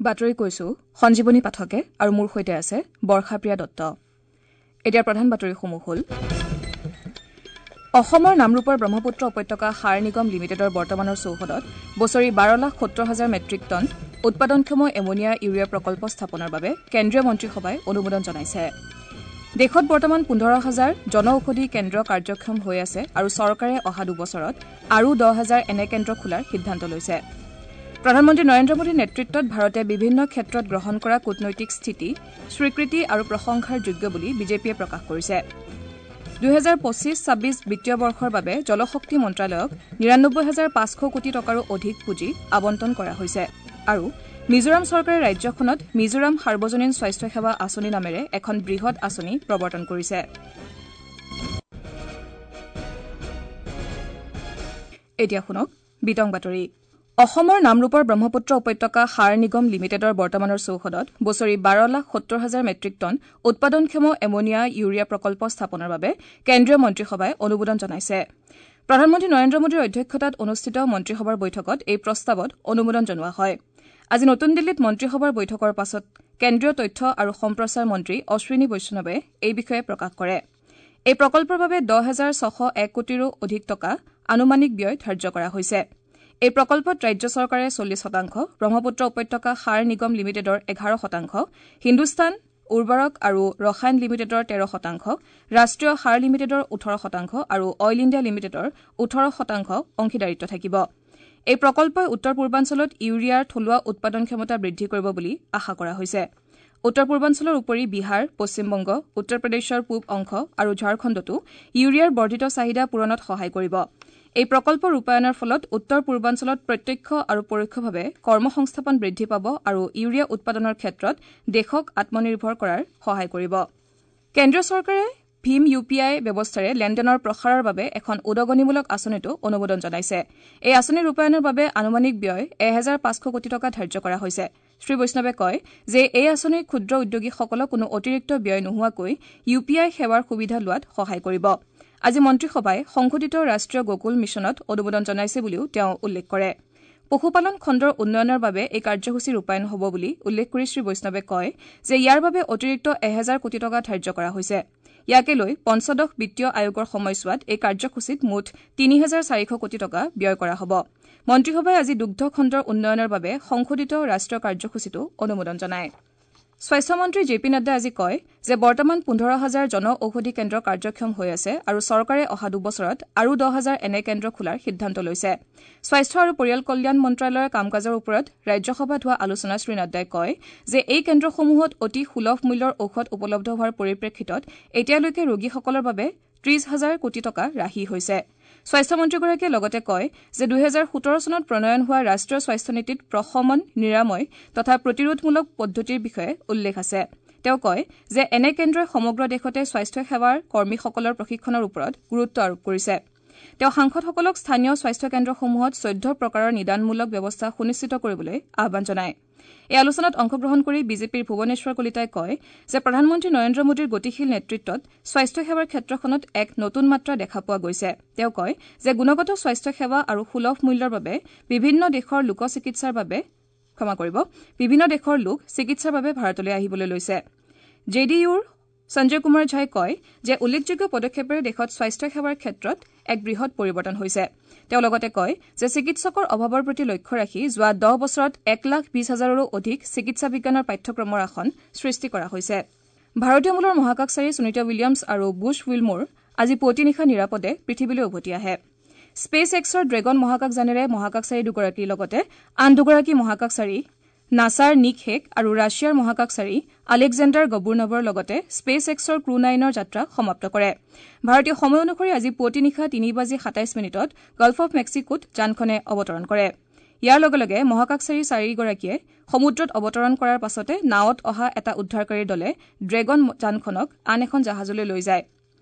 বাতৰি কৈছো সঞ্জীৱনী পাঠকে আৰু মোৰ সৈতে আছে বৰ্ষাপ্ৰিয়া দত্ত। এতিয়া প্ৰধান বাতৰিসমূহ হ'ল: অসমৰ নামৰূপৰ ব্ৰহ্মপুত্ৰ উপত্যকা সাৰ নিগম লিমিটেডৰ বৰ্তমানৰ চৌহদত বছৰি ১২,৭০,০০০ মেট্ৰিক টন উৎপাদনক্ষম এমনিয়া ইউৰিয়া প্ৰকল্প স্থাপনৰ বাবে কেন্দ্ৰীয় মন্ত্ৰীসভাই অনুমোদন জনাইছে। দেশত বৰ্তমান ১৫,০০০ জন ঔষধি কেন্দ্ৰ কাৰ্যক্ষম হৈ আছে আৰু চৰকাৰে অহা দুবছৰত আৰু ১০,০০০ এনে কেন্দ্ৰ খোলাৰ সিদ্ধান্ত লৈছে। প্ৰধানমন্ত্ৰী নৰেন্দ্ৰ মোদীৰ নেতৃত্বত ভাৰতে বিভিন্ন ক্ষেত্ৰত গ্ৰহণ কৰা কূটনৈতিক স্থিতি স্বীকৃতি আৰু প্ৰশংসাৰ যোগ্য বুলি বিজেপিয়ে প্ৰকাশ কৰিছে। ২০২৫-২৬ বিত্তীয় বৰ্ষৰ বাবে জলশক্তি মন্ত্ৰালয়ক ৯৯,৫০০ কোটি টকাৰো অধিক পুঁজি আবণ্টন কৰা হৈছে। আৰু মিজোৰাম চৰকাৰে ৰাজ্যখনত মিজোৰাম সাৰ্বজনীন স্বাস্থ্য সেৱা আঁচনি নামেৰে এখন বৃহৎ আঁচনি প্ৰৱৰ্তন কৰিছে। এতিয়া শুনক বিতং বাতৰি। অসমৰ নামৰূপৰ ব্ৰহ্মপুত্ৰ উপত্যকা সাৰ নিগম লিমিটেডৰ বৰ্তমানৰ চৌহদত বছৰি ১২,৭০,০০০ মেট্ৰিক টন উৎপাদনক্ষম এমনিয়া ইউৰিয়া প্ৰকল্প স্থাপনৰ বাবে কেন্দ্ৰীয় মন্ত্ৰীসভাই অনুমোদন জনাইছে। প্ৰধানমন্ত্ৰী নৰেন্দ্ৰ মোদীৰ অধ্যক্ষতাত অনুষ্ঠিত মন্ত্ৰীসভাৰ বৈঠকত এই প্ৰস্তাৱত অনুমোদন জনোৱা হয়। আজি নতুন দিল্লীত মন্ত্ৰীসভাৰ বৈঠকৰ পাছত কেন্দ্ৰীয় তথ্য আৰু সম্প্ৰচাৰ মন্ত্ৰী অশ্বিনী বৈষ্ণৱে এই বিষয়ে প্ৰকাশ কৰে। এই প্ৰকল্পৰ বাবে ১০,৬০১ কোটিৰো অধিক টকা আনুমানিক ব্যয় ধাৰ্য কৰা হৈছে। এই প্ৰকল্পত ৰাজ্য চৰকাৰে ৪০%, ব্ৰহ্মপুত্ৰ উপত্যকা সাৰ নিগম লিমিটেডৰ ১১%, হিন্দুস্তান উৰ্বৰক আৰু ৰসায়ন লিমিটেডৰ ১৩%, ৰাষ্ট্ৰীয় সাৰ লিমিটেডৰ ১৮% আৰু অইল ইণ্ডিয়া লিমিটেডৰ ১৮% অংশীদাৰিত্ব থাকিব। এই প্ৰকল্পই উত্তৰ পূৰ্বাঞ্চলত ইউৰিয়াৰ থলুৱা উৎপাদন ক্ষমতা বৃদ্ধি কৰিব বুলি আশা কৰা হৈছে। উত্তৰ পূৰ্বাঞ্চলৰ উপৰি বিহাৰ, পশ্চিমবংগ, উত্তৰ প্ৰদেশৰ পূব অংশ আৰু ঝাৰখণ্ডতো ইউৰিয়াৰ বৰ্ধিত চাহিদা পূৰণত সহায় কৰিব। এই প্ৰকল্প ৰূপায়ণৰ ফলত উত্তৰ পূৰ্বাঞ্চলত প্ৰত্যক্ষ আৰু পৰোক্ষভাৱে কৰ্মসংস্থাপন বৃদ্ধি পাব আৰু ইউৰিয়া উৎপাদনৰ ক্ষেত্ৰত দেশক আত্মনিৰ্ভৰ কৰাৰ সহায় কৰিব। কেন্দ্ৰীয় চৰকাৰে ভীম ইউ পি আই ব্যৱস্থাৰে লেনদেনৰ প্ৰসাৰৰ বাবে এখন উদগনিমূলক আঁচনিতো অনুমোদন জনাইছে। এই আঁচনি ৰূপায়ণৰ বাবে আনুমানিক ব্যয় ১,৫০০ কোটি টকা ধাৰ্য কৰা হৈছে। শ্ৰী বৈষ্ণৱে কয় যে এই আঁচনিৰ ক্ষুদ্ৰ উদ্যোগীসকলক কোনো অতিৰিক্ত ব্যয় নোহোৱাকৈ ইউ পি আই সেৱাৰ সুবিধা লোৱাত সহায় কৰিব। আজি মন্ত্ৰীসভাই সংশোধিত ৰাষ্ট্ৰীয় গোকুল মিছনত অনুমোদন জনাইছে বুলিও তেওঁ উল্লেখ কৰে। পশুপালন খণ্ডৰ উন্নয়নৰ বাবে এই কাৰ্যসূচী ৰূপায়ণ হ'ব বুলি উল্লেখ কৰি শ্ৰী বৈষ্ণৱে কয় যে ইয়াৰ বাবে অতিৰিক্ত ১,০০০ কোটি টকা ধাৰ্য কৰা হৈছে। ইয়াকে লৈ পঞ্চদশ বিত্তীয় আয়োগৰ সময়ছোৱাত এই কাৰ্যসূচীত মুঠ ৩,৪০০ কোটি টকা ব্যয় কৰা হ'ব। মন্ত্ৰীসভাই আজি দুগ্ধ খণ্ডৰ উন্নয়নৰ বাবে সংশোধিত ৰাষ্ট্ৰীয় কাৰ্যসূচীতো অনুমোদন জনায়। স্বাস্থ্যমন্ত্ৰী জে পি নাড্ডাই আজি কয় যে বৰ্তমান ১৫,০০০ জন ঔষধি কেন্দ্ৰ কাৰ্যক্ষম হৈ আছে আৰু চৰকাৰে অহা দুবছৰত আৰু ১০,০০০ এনে কেন্দ্ৰ খোলাৰ সিদ্ধান্ত লৈছে। স্বাস্থ্য আৰু পৰিয়াল কল্যাণ মন্ত্ৰালয়ৰ কাম কাজৰ ওপৰত ৰাজ্যসভাত হোৱা আলোচনাত শ্ৰী নাড্ডাই কয় যে এই কেন্দ্ৰসমূহত অতি সুলভ মূল্যৰ ঔষধ উপলব্ধ হোৱাৰ পৰিপ্ৰেক্ষিতত এতিয়ালৈকে ৰোগীসকলৰ বাবে ৩০,০০০ কোটি টকা ৰাহি হৈছে। স্বাস্থ্যমন্ত্ৰীগৰাকীয়ে লগতে কয় যে ২০১৭ চনত প্ৰণয়ন হোৱা ৰাষ্ট্ৰীয় স্বাস্থ্য নীতিত প্ৰশমন, নিৰাময় তথা প্ৰতিৰোধমূলক পদ্ধতিৰ বিষয়ে উল্লেখ আছে। তেওঁ কয় যে এনে কেন্দ্ৰই সমগ্ৰ দেশতে স্বাস্থ্য সেৱাৰ কৰ্মীসকলৰ প্ৰশিক্ষণৰ ওপৰত গুৰুত্ব আৰোপ কৰিছে। তেওঁ সাংসদসকলক স্থানীয় স্বাস্থ্য কেন্দ্ৰসমূহত ১৪ প্ৰকাৰৰ নিদানমূলক ব্যৱস্থা সুনিশ্চিত কৰিবলৈ আহ্বান জনায়। এই আলোচনাত অংশগ্ৰহণ কৰি বিজেপিৰ ভুৱনেশ্বৰ কলিতাই কয় যে প্ৰধানমন্ত্ৰী নৰেন্দ্ৰ মোদীৰ গতিশীল নেতৃত্বত স্বাস্থ্য সেৱাৰ ক্ষেত্ৰখনত এক নতুন মাত্ৰা দেখা পোৱা গৈছে। তেওঁ কয় যে গুণগত স্বাস্থ্য সেৱা আৰু সুলভ মূল্যৰ বাবে বিভিন্ন দেশৰ লোক চিকিৎসাৰ বাবে ভাৰতলৈ আহিবলৈ লৈছে। জে ডি ইউৰ সঞ্জয় কুমাৰ ঝাই কয় যে উল্লেখযোগ্য পদক্ষেপেৰে দেশত স্বাস্থ্য সেৱাৰ ক্ষেত্ৰত এক বৃহৎ পৰিৱৰ্তন হৈছে। তেওঁ লগতে কয় যে চিকিৎসকৰ অভাৱৰ প্ৰতি লক্ষ্য ৰাখি যোৱা ১০ বছৰত ১,২০,০০০ৰো অধিক চিকিৎসা বিজ্ঞানৰ পাঠ্যক্ৰমৰ আসন সৃষ্টি কৰা হৈছে। ভাৰতীয় মূলৰ মহাকাশচাৰী সুনীতা উইলিয়ামছ আৰু বুছ উইলমোৰ আজি পুৱতি নিশা নিৰাপদে পৃথিৱীলৈ উভতি আহে। স্পেচ এক্সৰ ড্ৰেগন মহাকাশযানেৰে মহাকাশচাৰী দুগৰাকীৰ লগতে আন দুগৰাকী মহাকাশচাৰী নাছাৰ নিক হেগ আৰু ৰাছিয়াৰ মহাকাশচাৰী আলেকজেণ্ডাৰ গবুৰ্নভৰ লগতে স্পেচ এক্সৰ ক্ৰু নাইনৰ যাত্ৰা সমাপ্ত কৰে। ভাৰতীয় সময় অনুসৰি আজি পুৱতি নিশা ৩:২৭ গাল্ফ অৱ মেক্সিকোত যানখনে অৱতৰণ কৰে। ইয়াৰ লগে লগে মহাকাশচাৰী চাৰিগৰাকীয়ে সমুদ্ৰত অৱতৰণ কৰাৰ পাছতে নাৱত অহা এটা উদ্ধাৰকাৰীৰ দলে ড্ৰেগন যানখনক আন এখন জাহাজলৈ লৈ যায়।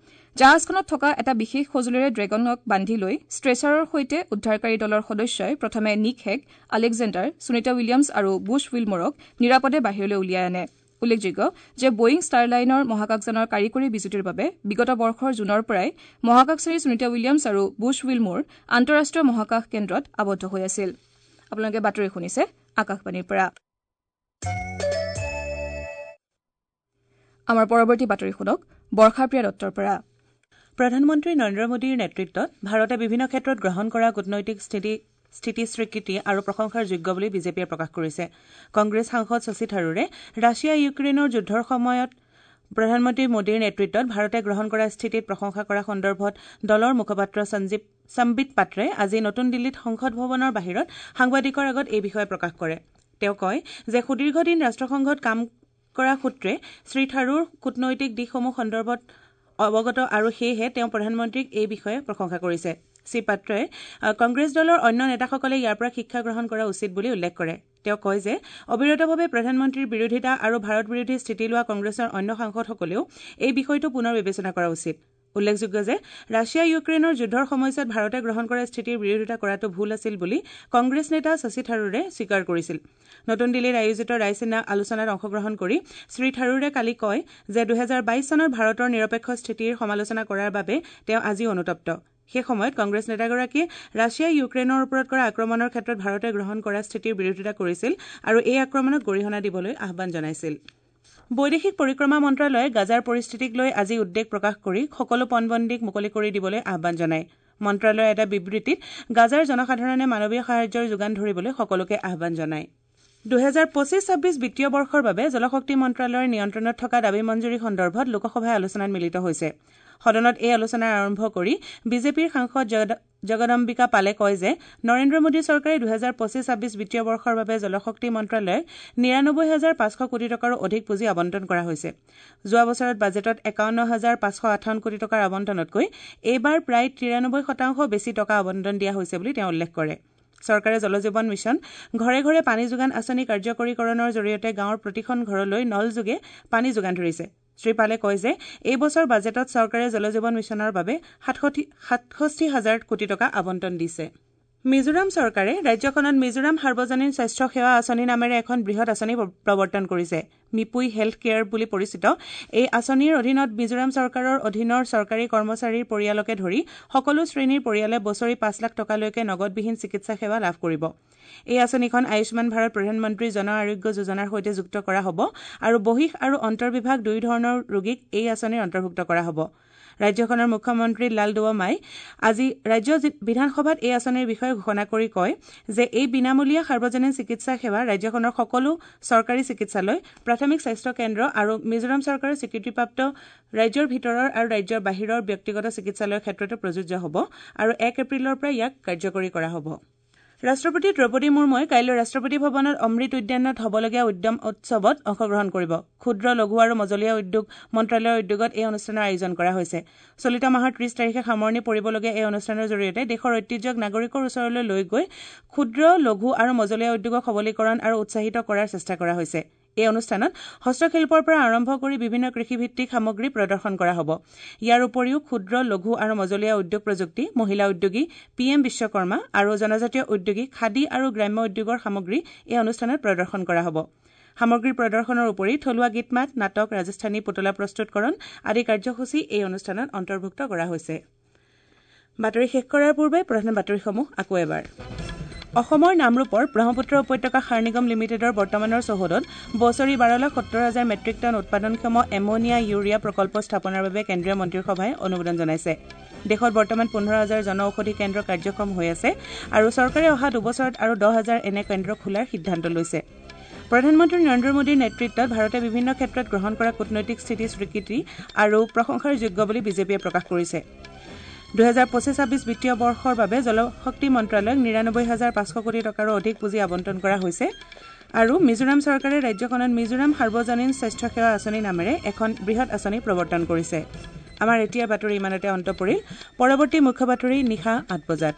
জাহাজখনত থকা এটা বিশেষ সঁজুলিৰে ড্ৰেগনক বান্ধি লৈ ষ্ট্ৰেচাৰৰ সৈতে উদ্ধাৰকাৰী দলৰ সদস্যই প্ৰথমে Nick Hague, Alexander, Sunita Williams আৰু বুছ উইলমোৰক নিৰাপদে বাহিৰলৈ উলিয়াই আনে। উল্লেখযোগ্য যে বোয়িং ষ্টাৰলাইনৰ মহাকাশযানৰ কাৰিকৰী বিজুতিৰ বাবে বিগত বৰ্ষৰ জুনৰ পৰাই মহাকাশচাৰী সুনীতা উইলিয়ামছ আৰু বুছ উইলমোৰ আন্তঃৰাষ্ট্ৰীয় মহাকাশ কেন্দ্ৰত আবদ্ধ হৈ আছিল। আপোনালোকে বাতৰি শুনিছে আকাশবাণীৰ পৰা। আমাৰ পৰৱৰ্তী বাতৰি শুনক বৰ্ষাপ্ৰিয়া দত্তৰ পৰা। প্ৰধানমন্ত্ৰী নৰেন্দ্ৰ মোদীৰ নেতৃত্বত ভাৰতে বিভিন্ন ক্ষেত্ৰত গ্ৰহণ কৰা কূটনৈতিক স্থিতি স্বীকৃতি আৰু প্ৰশংসাৰ যোগ্য বুলি বিজেপিয়ে প্ৰকাশ কৰিছে। কংগ্ৰেছ সাংসদ শশী থাৰুৰে ৰাছিয়া ইউক্ৰেইনৰ যুদ্ধৰ সময়ত প্ৰধানমন্ত্ৰী মোদীৰ নেতৃত্বত ভাৰতে গ্ৰহণ কৰা স্থিতিত প্ৰশংসা কৰা সন্দৰ্ভত দলৰ মুখপাত্ৰ সম্বিত পাত্ৰে আজি নতুন দিল্লীত সংসদ ভৱনৰ বাহিৰত সাংবাদিকৰ আগত এই বিষয়ে প্ৰকাশ কৰে। তেওঁ কয় যে সুদীৰ্ঘদিন ৰাষ্ট্ৰসংঘত কাম কৰা সূত্ৰে শ্ৰী থাৰুৰ কূটনৈতিক দিশসমূহ সন্দৰ্ভত অৱগত আৰু সেয়েহে তেওঁ প্ৰধানমন্ত্ৰীক এই বিষয়ে প্ৰশংসা কৰিছে। শ্ৰীপাত্ৰই কংগ্ৰেছ দলৰ অন্য নেতাসকলে ইয়াৰ পৰা শিক্ষা গ্ৰহণ কৰা উচিত বুলি উল্লেখ কৰে। তেওঁ কয় যে অবিৰতভাৱে প্ৰধানমন্ত্ৰীৰ বিৰোধিতা আৰু ভাৰত বিৰোধী স্থিতি লোৱা কংগ্ৰেছৰ অন্য সাংসদসকলেও এই বিষয়টো পুনৰ বিবেচনা কৰা উচিত। উল্লেখযোগ্য যে ৰাছিয়া ইউক্ৰেইনৰ যুদ্ধৰ সময়ছোৱাত ভাৰতে গ্ৰহণ কৰা স্থিতিৰ বিৰোধিতা কৰাটো ভুল আছিল বুলি কংগ্ৰেছ নেতা শশী থাৰুৰে স্বীকাৰ কৰিছিল। নতুন দিল্লীত আয়োজিত ৰায়ছিনা আলোচনাত অংশগ্ৰহণ কৰি শ্ৰী থাৰুৰে কালি কয় যে 2022 চনত ভাৰতৰ নিৰপেক্ষ স্থিতিৰ সমালোচনা কৰাৰ বাবে তেওঁ আজিও অনুতপ্ত। সেই সময়ত কংগ্ৰেছ নেতাগৰাকীয়ে ৰাছিয়াই ইউক্ৰেইনৰ ওপৰত কৰা আক্ৰমণৰ ক্ষেত্ৰত ভাৰতে গ্ৰহণ কৰা স্থিতিৰ বিৰোধিতা কৰিছিল আৰু এই আক্ৰমণক গৰিহণা দিবলৈ আহ্বান জনাইছিল। বৈদেশিক পৰিক্ৰমা মন্ত্ৰালয়ে গাজাৰ পৰিস্থিতিক লৈ আজি উদ্বেগ প্ৰকাশ কৰি সকলো পণবন্দীক মুকলি কৰি দিবলৈ আহ্বান জনায়। মন্ত্ৰালয়ৰ এটা বিবৃতিত গাজাৰ জনসাধাৰণে মানৱীয় সাহায্যৰ যোগান ধৰিবলৈ সকলোকে আহ্বান জনায়। 2025-26 বিত্তীয় বৰ্ষৰ বাবে জলশক্তি মন্ত্ৰালয়ৰ নিয়ন্ত্ৰণত থকা দাবী মঞ্জুৰি সন্দৰ্ভত লোকসভাই আলোচনাত মিলিত হৈছে। সদনত এই আলোচনা আৰম্ভ কৰি বিজেপিৰ সাংসদ জগদম্বিকা পালে কয় যে নৰেন্দ্ৰ মোদী চৰকাৰে 2025-26 বিত্তীয় বৰ্ষৰ বাবে জলশক্তি মন্ত্ৰালয়ক 99,500 কোটি টকাৰো অধিক পুঁজি আবণ্টন কৰা হৈছে। যোৱা বছৰত বাজেটত 51,558 কোটি টকাৰ আবণ্টনতকৈ এইবাৰ প্ৰায় 93% বেছি টকা আবণ্টন দিয়া হৈছে বুলি তেওঁ উল্লেখ কৰে। চৰকাৰে জলজীৱন মিছন, ঘৰে ঘৰে পানী যোগান আঁচনি কাৰ্যকৰীকৰণৰ জৰিয়তে গাঁৱৰ প্ৰতিখন ঘৰলৈ নলযোগে পানী যোগান ধৰিছে। শ্ৰীপালে কয় যে এই বছৰ বাজেটত চৰকাৰে জলজীৱন মিছনৰ বাবে 67,000 কোটি টকা আবণ্টন দিছে। মিজোৰাম চৰকাৰে ৰাজ্যখনত মিজোৰাম সাৰ্বজনীন স্বাস্থ্য সেৱা আঁচনি নামেৰে এখন বৃহৎ আঁচনি প্ৰৱৰ্তন কৰিছে। মিপুই হেল্থ কেয়াৰ বুলি পৰিচিত এই আঁচনিৰ অধীনত মিজোৰাম চৰকাৰৰ অধীনৰ চৰকাৰী কৰ্মচাৰীৰ পৰিয়ালকে ধৰি সকলো শ্ৰেণীৰ পৰিয়ালে বছৰি 5 লাখ টকালৈকে নগদবিহীন চিকিৎসা সেৱা লাভ কৰিব। এই আঁচনিখন আয়ুষ্মান ভাৰত প্ৰধানমন্ত্ৰী জন আৰোগ্য যোজনাৰ সৈতে যুক্ত কৰা হ'ব আৰু বহিঃ আৰু অন্তৰ্বিভাগ দুয়োধৰণৰ ৰোগীক এই আঁচনিৰ অন্তৰ্ভুক্ত কৰা হ'ব। ৰাজ্যখনৰ মুখ্যমন্ত্ৰী লালডুৱমাই আজি ৰাজ্য বিধানসভাত এই আঁচনিৰ বিষয়ে ঘোষণা কৰি কয় যে এই বিনামূলীয়া সাৰ্বজনীন চিকিৎসা সেৱা ৰাজ্যখনৰ সকলো চৰকাৰী চিকিৎসালয়, প্ৰাথমিক স্বাস্থ্য কেন্দ্ৰ আৰু মিজোৰাম চৰকাৰৰ স্বীকৃতিপ্ৰাপ্ত ৰাজ্যৰ ভিতৰৰ আৰু ৰাজ্যৰ বাহিৰৰ ব্যক্তিগত চিকিৎসালয়ৰ ক্ষেত্ৰতো প্ৰযোজ্য হ'ব আৰু 1 এপ্ৰিলৰ পৰা ইয়াক কাৰ্যকৰী কৰা হ'ব। ৰাষ্ট্ৰপতি দ্ৰৌপদী মুৰ্মুৱে কাইলৈ ৰাষ্ট্ৰপতি ভৱনত অমৃত উদ্যানত হ'বলগীয়া উদ্যম উৎসৱত অংশগ্ৰহণ কৰিব। ক্ষুদ্ৰ, লঘু আৰু মজলীয়া উদ্যোগ মন্ত্ৰালয়ৰ উদ্যোগত এই অনুষ্ঠানৰ আয়োজন কৰা হৈছে। চলিত মাহৰ 30 তাৰিখে সামৰণি পৰিবলগীয়া এই অনুষ্ঠানৰ জৰিয়তে দেশৰ ঐতিহ্যক নাগৰিকৰ ওচৰলৈ লৈ গৈ ক্ষুদ্ৰ, লঘু আৰু মজলীয়া উদ্যোগক সবলীকৰণ আৰু উৎসাহিত কৰাৰ চেষ্টা কৰা হৈছে। এই অনুষ্ঠানত হস্তশিল্পৰ পৰা আৰম্ভ কৰি বিভিন্ন কৃষিভিত্তিক সামগ্ৰী প্ৰদৰ্শন কৰা হ'ব। ইয়াৰ উপৰিও ক্ষুদ্ৰ, লঘু আৰু মজলীয়া উদ্যোগ প্ৰযুক্তি, মহিলা উদ্যোগী, পি এম বিশ্বকৰ্মা আৰু জনজাতীয় উদ্যোগী, খাদী আৰু গ্ৰাম্য উদ্যোগৰ সামগ্ৰী এই অনুষ্ঠানত প্ৰদৰ্শন কৰা হ'ব। সামগ্ৰী প্ৰদৰ্শনৰ উপৰি থলুৱা গীত-মাত, নাটক, ৰাজস্থানী পুতলা প্ৰস্তুতকৰণ আদি কাৰ্যসূচী এই অনুষ্ঠানত অন্তৰ্ভুক্ত কৰা হৈছে। বাতৰি শেষ কৰাৰ পূৰ্বে প্ৰধান বাতৰিসমূহ আকৌ এবাৰ। অসমৰ নামৰূপৰ ব্ৰহ্মপুত্ৰ উপত্যকা সাৰ নিগম লিমিটেডৰ বৰ্তমানৰ চৌহদত বছৰি 12,70,000 মেট্ৰিক টন উৎপাদনক্ষম এমনিয়া ইউৰিয়া প্ৰকল্প স্থাপনৰ বাবে কেন্দ্ৰীয় মন্ত্ৰীসভাই অনুমোদন জনাইছে। দেশত বৰ্তমান 15,000 জন ঔষধি কেন্দ্ৰ কাৰ্যক্ষম হৈ আছে আৰু চৰকাৰে অহা দুবছৰত আৰু 10,000 এনে কেন্দ্ৰ খোলাৰ সিদ্ধান্ত লৈছে। প্ৰধানমন্ত্ৰী নৰেন্দ্ৰ মোদীৰ নেতৃত্বত ভাৰতে বিভিন্ন ক্ষেত্ৰত গ্ৰহণ কৰা কূটনৈতিক স্থিতি স্বীকৃতি আৰু প্ৰশংসাৰ যোগ্য বুলি বিজেপিয়ে প্ৰকাশ কৰিছে। 2025-26 বিত্তীয় বৰ্ষৰ বাবে জলশক্তি মন্ত্ৰালয়ক 99,500 কোটি টকাৰো অধিক পুঁজি আবণ্টন কৰা হৈছে আৰু মিজোৰাম চৰকাৰে ৰাজ্যখনত মিজোৰাম সাৰ্বজনীন স্বাস্থ্য সেৱা আঁচনি নামেৰে এখন বৃহৎ আঁচনি প্ৰৱৰ্তন কৰিছে। আমাৰ এতিয়াৰ বাতৰি ইমানতে অন্ত পৰিল। পৰৱৰ্তী মুখ্য বাতৰি নিশা 8 বজাত।